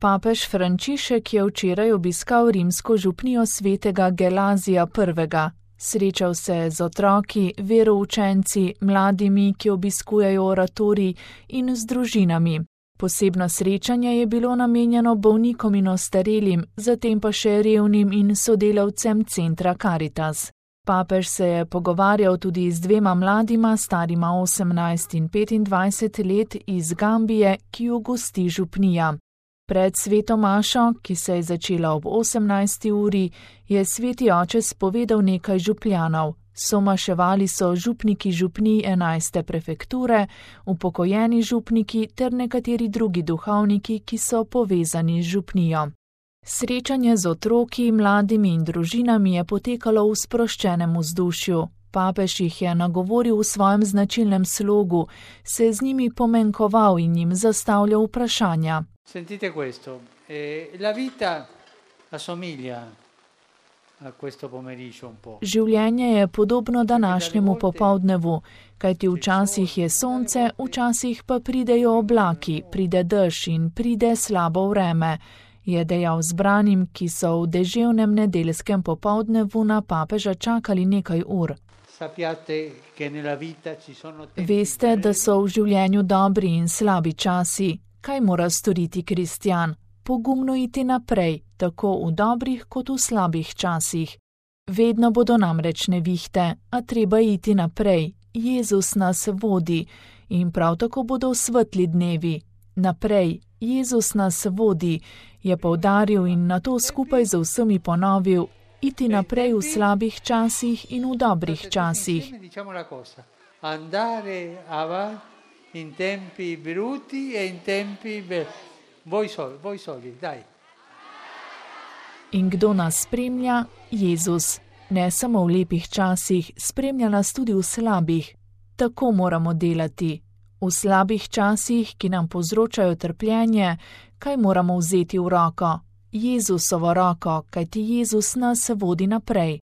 Papež Frančišek je včeraj obiskal rimsko župnijo svetega Gelazija I. Srečal se je z otroki, veroučenci, mladimi, ki obiskujejo oratorij, in z družinami. Posebno srečanje je bilo namenjeno bolnikom in ostarelim, zatem pa še revnim in sodelavcem centra Caritas. Papež se je pogovarjal tudi z dvema mladima, starima 18 in 25 let iz Gambije, ki jo gosti župnija. Pred sveto mašo, ki se je začela ob 18. uri, je sveti oče spovedal nekaj župljanov. Somaševali so župniki župnij 11. prefekture, upokojeni župniki ter nekateri drugi duhovniki, ki so povezani z župnijo. Srečanje z otroki, mladimi in družinami je potekalo v sproščenem vzdušju. Papež jih je nagovoril v svojem značilnem slogu, se z njimi pomenkoval in jim zastavljal vprašanja. Sentite questo, la vita assomiglia a questo pomeriggio un po'. Življenje je podobno današnjemu popoldnevu, kajti včasih je sonce, včasih pa pridejo oblaki, pride dež in pride slabo vreme, je dejal zbranim, ki so v deževnem nedeljskem popoldnevu na papeža čakali nekaj ur. Veste, da so v življenju dobri in slabi časi. Kaj mora storiti kristjan? Pogumno iti naprej, tako v dobrih kot v slabih časih. Vedno bodo namreč nevihte, a treba iti naprej. Jezus nas vodi in prav tako bodo svetli dnevi. Naprej, Jezus nas vodi, je poudaril in nato skupaj z vsemi ponovil, iti naprej v slabih časih in v dobrih časih. In tempi brutti e in tempi voi soli, dai. In kdo nas spremlja? Jezus. Ne samo v lepih časih, spremlja nas tudi v slabih. Tako moramo delati. V slabih časih, ki nam povzročajo trpljenje, kaj moramo vzeti v roko? Jezusovo roko, kajti Jezus nas vodi naprej.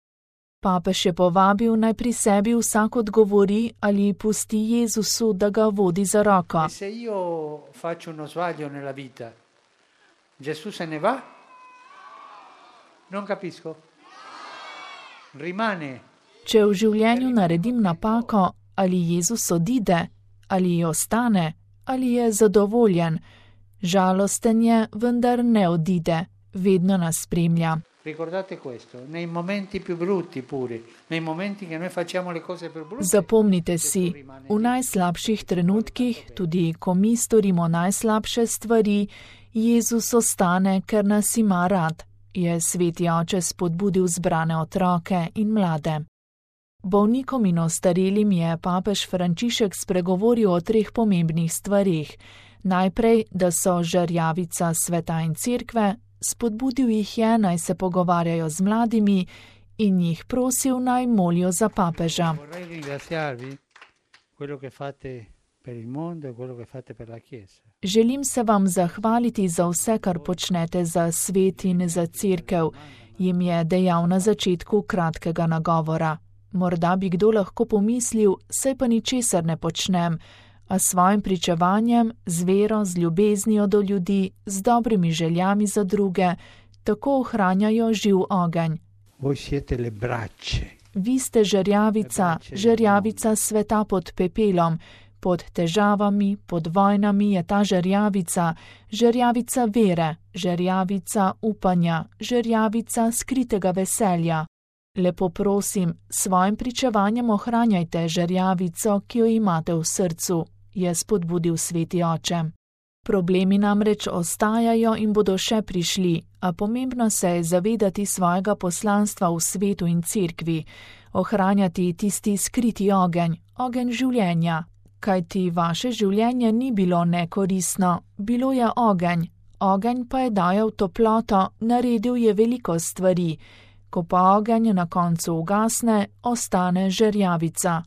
Papež je povabil, naj pri sebi vsak odgovori ali pusti Jezusu, da ga vodi za roko. Se io faccio uno sbaglio nella vita, Gesù se ne va? Non capisco. Rimane. Če v življenju naredim napako, ali Jezus odide, ali ostane, ali je zadovoljen. Žalosten je, vendar ne odide, vedno nas spremlja. Ricordate questo, nei momenti più brutti pure, nei momenti che noi facciamo le cose più brutte. Zapomnite si, v najslabših trenutkih, tudi ko mi storimo najslabše stvari, Jezus ostane, ker nas ima rad, je sveti oče spodbudil zbrane otroke in mlade. Bolnikom in ostarelim je papež Frančišek spregovoril o 3 pomembnih stvarih. Najprej, da so žerjavica sveta in cerkve, spodbudil jih je, naj se pogovarjajo z mladimi in jih prosil, naj molijo za papeža. Želim se vam zahvaliti za vse, kar počnete za svet in za cerkev, jim je dejal na začetku kratkega nagovora. Morda bi kdo lahko pomislil, saj pa ničesar ne počnem, a svojim pričevanjem, z vero, z ljubeznijo do ljudi, z dobrimi željami za druge, tako ohranjajo živ ogenj. Vi ste žerjavica, žerjavica sveta pod pepelom, pod težavami, pod vojnami je ta žerjavica, žerjavica vere, žerjavica upanja, žerjavica skritega veselja. Lepo prosim, svojim pričevanjem ohranjajte žerjavico, ki jo imate v srcu, je spodbudil sveti oče. Problemi namreč ostajajo in bodo še prišli, a pomembno se je zavedati svojega poslanstva v svetu in cerkvi, ohranjati tisti skriti ogenj, ogenj življenja, kajti vaše življenje ni bilo nekoristno, bilo je ogenj, ogenj pa je dajal toploto, naredil je veliko stvari. Ko pa ogenj na koncu ugasne, ostane žerjavica.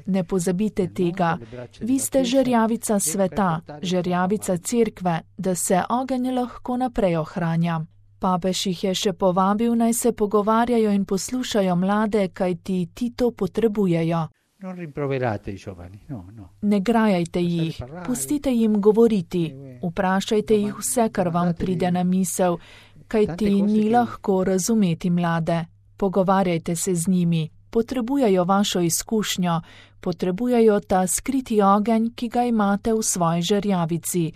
Ne pozabite tega, vi ste žerjavica sveta, žerjavica cerkve, da se ogenj lahko naprej ohranja. Papež jih je še povabil, naj se pogovarjajo in poslušajo mlade, kajti ti to potrebujejo. Non rimproverate i giovani, no. Ne grajajte jih, pustite jim govoriti, vprašajte jih vse, kar vam pride na misel, kajti ni lahko razumeti mlade. Pogovarjajte se z njimi, potrebujejo vašo izkušnjo, potrebujejo ta skriti ogenj, ki ga imate v svoji žerjavici,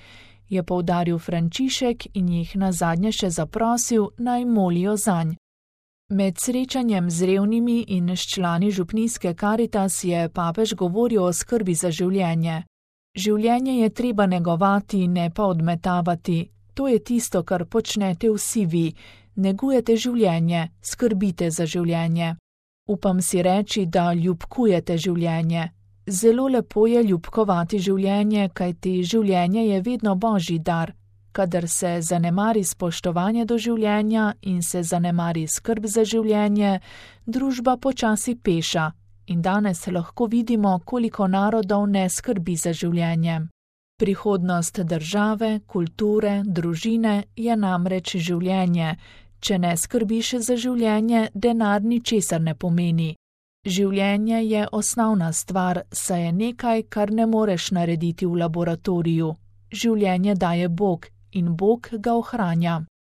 je poudaril Frančišek in jih nazadnje še zaprosil, naj molijo zanj. Med srečanjem z revnimi in s člani župnijske Karitas je papež govoril o skrbi za življenje. Življenje je treba negovati, ne pa odmetavati. To je tisto, kar počnete vsi vi. Negujete življenje, skrbite za življenje. Upam si reči, da ljubkujete življenje. Zelo lepo je ljubkovati življenje, kajti življenje je vedno božji dar. Kadar se zanemari spoštovanje do življenja in se zanemari skrb za življenje, družba počasi peša in danes lahko vidimo, koliko narodov ne skrbi za življenje. Prihodnost države, kulture, družine je namreč življenje. Če ne skrbiš za življenje, denar ničesar ne pomeni. Življenje je osnovna stvar, saj je nekaj, kar ne moreš narediti v laboratoriju. Življenje daje Bog in Bog ga ohranja.